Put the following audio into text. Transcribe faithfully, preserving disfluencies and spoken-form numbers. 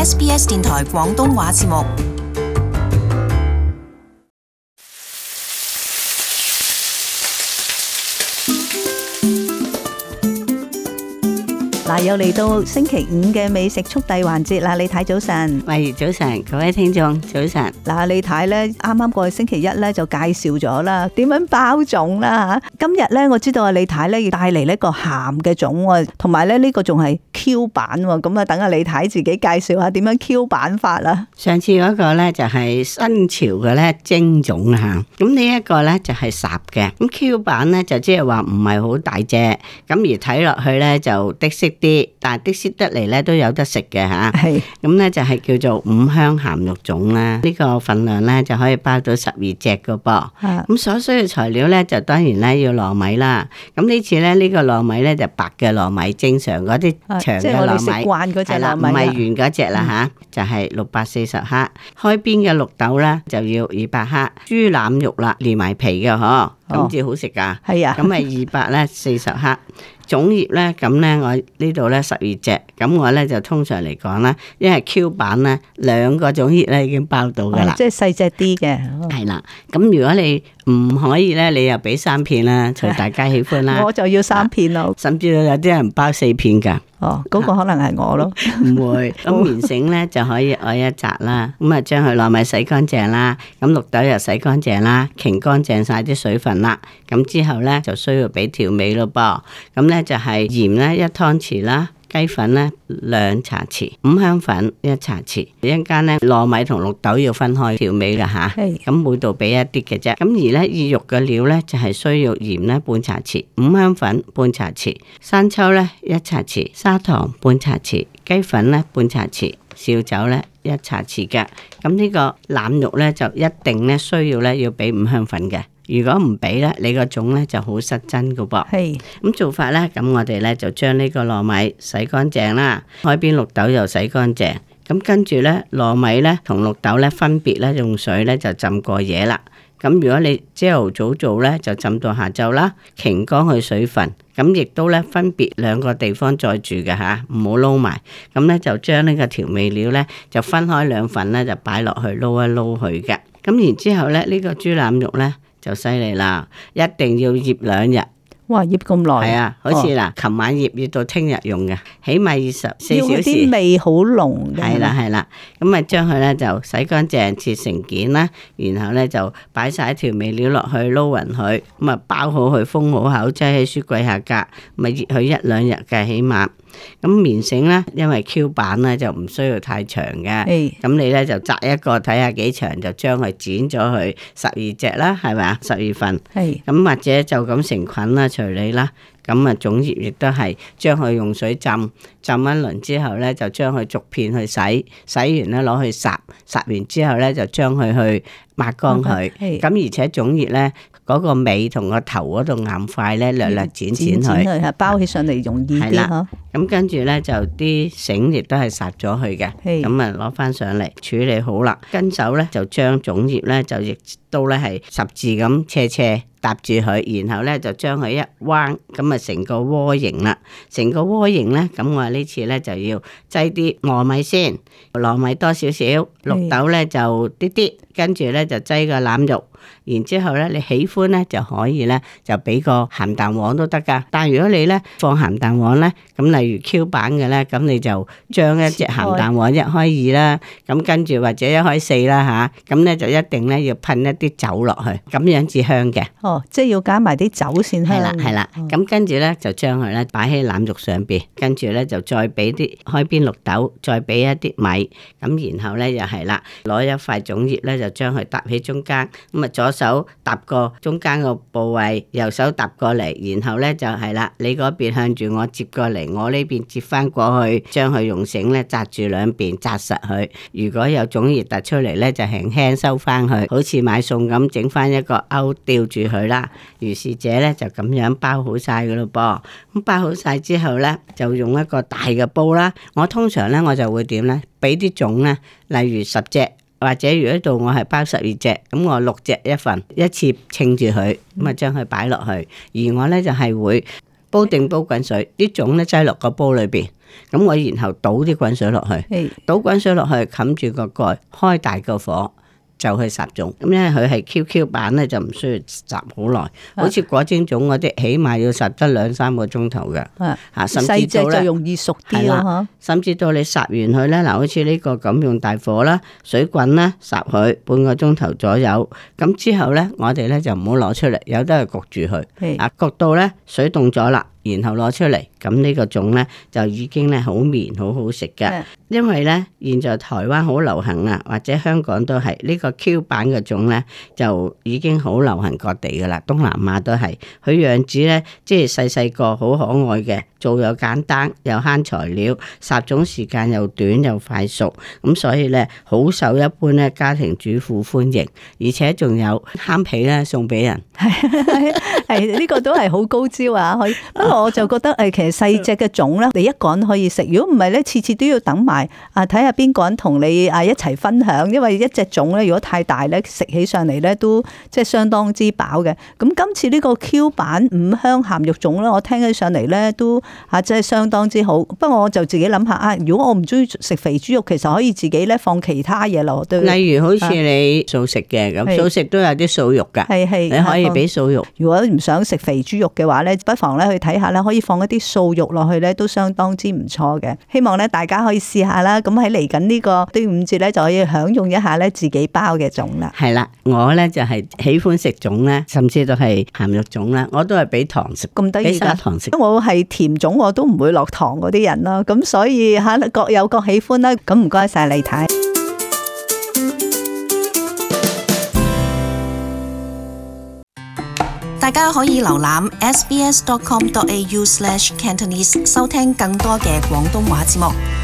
S B S 電台廣東話節目。嗱，又嚟到星期五嘅美食速遞環節啦！李太早晨，喂，早晨，各位聽眾早晨。嗱，李太咧啱啱過去星期一咧就介紹咗啦，點樣包粽啦吓。今日咧我知道阿李太咧要帶嚟呢個鹹嘅粽，同埋咧呢個仲係 Q 版，咁啊等阿李太自己介紹下點樣 Q 版法啦。上次嗰個咧就係新潮嘅咧蒸粽吓，咁呢一個咧就係烚嘅，咁 Q 版咧就即係話唔係好大隻，咁而睇落去咧就的色啲，但係的色得嚟咧都有得食嘅吓。係咁咧就係叫做五香鹹肉粽啦。呢個份量咧就可以包到十二隻噶噃。咁所需嘅材料咧就當然咧要糯米啦。咁呢次咧呢個糯米咧就白嘅糯米，正常嗰啲長嘅糯米係啦，唔係圓嗰隻啦吓，就係六百四十克。開邊嘅綠豆咧就要二百克。豬腩肉啦，連埋皮嘅嗬，咁至好食噶。係啊，咁係二百咧四十克。粽葉咧，咁咧我呢度咧十二隻，咁我咧就通常嚟講咧，因為 Q 版咧兩個粽葉咧已經包到噶啦，即係細隻啲嘅。係啦，咁如果你唔可以咧，你又俾三片啦，隨大家喜歡啦。我就要三片咯，甚至有啲人包四片噶。哦，嗰、那個可能係我咯，唔會。咁棉繩咧就可以愛一紮啦，咁啊將佢糯米洗乾淨啦，咁綠豆又洗乾淨啦，擎乾淨晒啲水分啦，咁之後咧就需要俾調味咯噃，咁咧就係鹽咧一湯匙啦。雞粉咧兩茶匙，五香粉一茶匙，一陣間咧糯米同綠豆要分開調味噶吓，咁每度俾一啲嘅啫。咁而咧意肉嘅料咧就係需要鹽咧半茶匙，五香粉半茶匙，生抽咧一茶匙，砂糖半茶匙，雞粉咧半茶匙，紹酒咧一茶匙嘅。咁呢個腩肉咧就一定咧需要咧要俾五香粉嘅。如果唔俾咧，你個粽咧就好失真噶噃。係咁做法咧，咁我哋咧就將呢個糯米洗乾淨啦，開邊綠豆又洗乾淨。咁跟住咧，糯米咧同綠豆咧分別咧用水咧就浸過夜啦。咁如果你朝頭早做咧，就浸到下晝啦，擎乾佢水分。咁亦都咧分別兩個地方再煮嘅吓，唔好撈埋。咁咧就將呢個調味料咧就分開兩份咧就擺落去撈一撈佢嘅。咁然之後咧呢個豬腩肉咧。就犀利啦！一定要醃兩日。哇！醃咁耐？係啊，好似嗱，琴晚醃醃到聽日用嘅，起碼二十四小時。要啲味好濃嘅。係啦係啦，咁啊將佢咧就洗乾淨，切成件啦，然後咧就擺晒調味料落去撈勻佢，咁啊包好佢，封好口，擠喺雪櫃下格，咪醃佢一兩日嘅起碼。咁棉繩咧，因為 Q 版咧就唔需要太長嘅，咁你咧就摘一個睇下幾長，就將佢剪咗佢十二隻啦，係咪啊？十二份，咁或者就咁成捆啦，隨你啦。咁啊，粽葉亦都係將佢用水浸浸一輪之後咧，就將佢逐片去洗，洗完咧攞去烚，烚完之後咧就將佢去抹乾佢。咁、okay. 而且粽葉咧嗰個尾同個頭嗰度硬塊咧，略略剪剪佢，包起上嚟容易啲嗬。咁跟住咧就啲繩亦都係烚咗佢嘅，咁啊攞翻上嚟處理好啦。跟手咧就將粽葉咧就亦都咧係十字咁斜斜搭住佢，然後咧就將佢一彎，咁啊成個窩形啦。成個窩形咧，咁我呢次咧就要擠啲糯米先，糯米多少少，綠豆咧就啲啲，跟住咧就擠個腩肉。然之後咧，你喜歡咧就可以咧就俾個鹹蛋黃都得噶。但係如果你咧放鹹蛋黃咧，咁例如 Q 版嘅咧，咁你就將一隻鹹蛋黃一開二啦，咁跟住或者一開四啦吓，咁咧就一定咧要噴一啲酒落去，咁樣至香嘅。哦，即係要加埋啲酒先香。係啦係啦，咁跟住咧就將佢咧擺喺腩肉上邊，跟住咧就再俾啲開邊綠豆，再俾一啲米，咁然後咧又係啦，攞一塊粽葉咧就將佢搭喺中間，咁啊左手搭過中間個部位，右手搭過嚟，然後咧就係啦，你嗰邊向住我接過嚟，我呢邊接翻過去，將佢用繩咧紮住兩邊紮實佢。如果有粽葉突出嚟咧，就輕輕收翻去，好似買餸咁整翻一個勾吊住佢啦。如是者咧就咁樣包好晒噶咯噃。咁包好晒之後咧，就用一個大嘅煲啦。我通常咧我就會點咧，俾啲粽咧，例如十隻。或者如果度我係包十二隻，咁我六隻一份，一次稱住佢，咁啊將佢擺落去。而我咧就係會煲定煲滾水，啲粽咧擠落個煲裏邊，咁我然後倒啲滾水落去，係倒滾水落去，冚住個蓋，開大個火。就去烚粽，咁因為佢係 Q Q 版咧，就唔需要烚好耐。好似果蒸粽嗰啲，起碼要烚得兩三個鐘頭嘅。啊，甚至到咧，就容易熟啲咯。甚至到你烚完佢咧，嗱，好似呢個咁用大火啦，水滾啦，烚佢半個鐘頭左右。咁之後咧，我哋咧就唔好攞出嚟，有得去焗住佢。啊，焗到咧水凍咗啦，然後攞出嚟，咁呢個粽咧就已經咧好綿，好好食嘅。因為咧，現在台灣好流行啊，或者香港都係呢個 Q 版嘅粽咧，就已經好流行各地噶啦，東南亞都係。佢樣子咧，即係細細個，好可愛嘅，做又簡單，又慳材料，烚粽時間又短又快熟，咁所以咧好受一般咧家庭主婦歡迎，而且仲有慳皮咧送俾人。係係呢個都係好高招啊！可以，不過我就覺得誒，其實細隻嘅粽咧，你一個人可以食，如果唔係咧，次次都要等埋。啊！睇下邊個人同你啊一齊分享，因為一隻粽咧，如果太大咧，食起上嚟咧都即係相當之飽嘅。咁今次呢個 Q 版五香鹹肉粽咧，我聽起上嚟咧都啊真係相當之好。不過我就自己諗下啊，如果我唔中意食肥豬肉，其實可以自己咧放其他嘢落去。例如好似你素食嘅咁，素食都有啲素肉㗎，係係你可以俾素肉。如果唔想食肥豬肉嘅話咧，不妨咧去睇下咧，可以放一啲素肉落去咧，都相當之唔錯嘅。希望咧大家可以試下啦。咁喺嚟緊呢個端午節咧，就可以享用一下咧自己包嘅粽啦。係啦，我咧就係喜歡食粽咧，甚至都係鹹肉粽啦，我都係俾糖食，咁得意㗎。糖食。我係甜粽，我都唔會落糖嗰啲人啦。咁所以吓各有各喜歡啦。咁唔該晒李太。大家可以瀏覽 s b s dot com dot a u slash cantonese 收聽更多嘅廣東話節目。